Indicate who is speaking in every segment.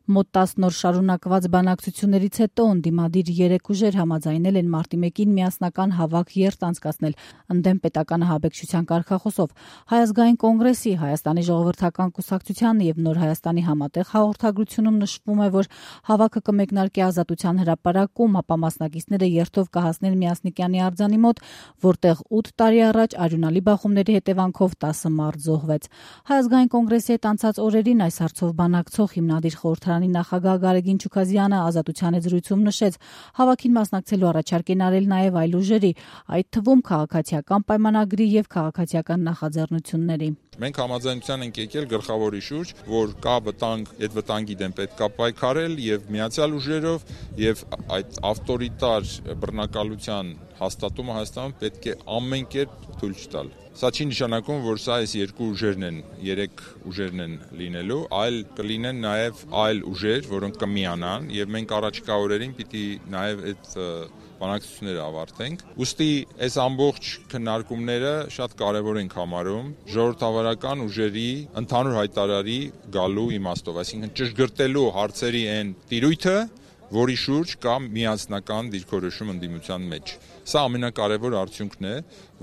Speaker 1: Մոտ 10 նոր շարունակված բանակցություններից հետո ընդդիմադիր 3 ուժեր համաձայնել են մարտի 1-ին միասնական հավաք երթ անցկացնել ընդդեմ պետական ահաբեկչության կարգախոսով։ Հայ ազգային կոնգրեսի, Հայաստանի ժողովրդական կուսակցության եւ Նոր Հայաստանի համատեղ հաղորդագրությունում նշվում է, որ հավաքը կմեկնարկի Ազատության հրապարակում, ապա մասնակիցները երթով կհասնեն Միասնիկյանի արձանի մոտ, որտեղ 8 տարի առաջ արյունալի բախումների հետևանքով 10 մարդ զոհվեց։ Հայ ազգային կոնգրեսի հետ անցած օրերին այս հարցով բանակցող հիմնադիր խորհրդարանի նախագահ Գարեգին Չուքազյանը Ազատության հետ զրույցում նշեց, հավաքին մասնակցելու առաջարկ են արել նաև այլ ուժերի, այդ թվում քաղաքացիական պայմանագրի եւ քաղաքացիական նախաձեռնությունների։
Speaker 2: Մենք համաձայնության ենք եկել գլխավորի շուրջ, որ կա վտանգ, այդ վտանգի դեմ պետք է պայքարել եւ միացյալ ուժերով եւ այդ ավտորիտար բռնակալության հաստատումը Հայաստանում պետք է ամեն կերպ թույլ չտալ։ Սա չի նշանակում, որ սա այս երկու ուժերն են, 3 ուժերն են լինելու, այլ կլինեն նաև այլ ուժեր, որոնք կմիանան եւ մենք առաջիկա օրերին պիտի նաև այդ բանակցությունները ավարտենք։ Ուստի այս ամբողջ քննարկումները շատ կարևոր ենք համարում ժողովրդավարական ուժերի ընդհանուր հայտարարի գալու իմաստով, այսինքն ճշգրտելու հարցերի այն տիրույթը, որի շուրջ կա միասնական դիրքորոշում ընդդիմության մեջ։ Սա ամենակարևոր արդյունքն է,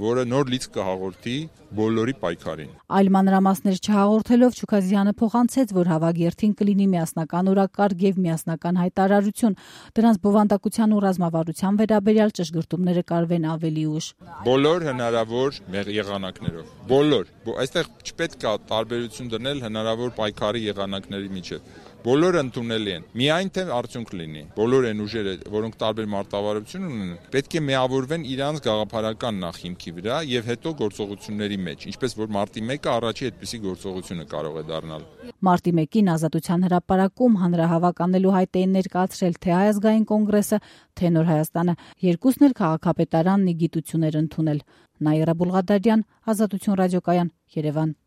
Speaker 2: որը նոր լիցք կհաղորդի բոլորի պայքարին։
Speaker 1: Այլ մանրամասներ չհաղորդելով Չուքազյանը փոխանցեց, որ հավաք երթին կլինի միասնական օրակարգ եւ միասնական հայտարարություն։ Դրանց բովանդակության ու ռազմավարության վերաբերյալ ճշգրտումները կարվեն ավելի ուշ։
Speaker 2: Բոլոր հնարավոր եղանակներով։ Բոլոր։ Այստեղ չպետք է տարբերություն դնել հնարավոր պայքարի եղանակների միջև։ Բոլորը ընդունելի են։ Միայն թե արդյունք լինի։ Բոլոր այն ուժերը, որոնք տարբեր մարտավարություն ունեն, պետք է միավորվեն իրանց գաղափարական նախհիմքի վրա եւ հետո գործողությունների մեջ, ինչպես որ մարտի 1-ը առաջի այդպիսի գործողությունը կարող է դառնալ։
Speaker 1: Մարտի 1-ին Ազատության հրապարակում հանրահավաք անելու հայտ էին ներկայացրել թե Հայ ազգային կոնգրեսը, թե Նոր Հայաստանը, երկուսն էլ քաղաքապետարանն ի գիտություն էր ընդունել։ Նաիրա Բուլղադարյան, Ազատություն ռադիոկայան, Երևան։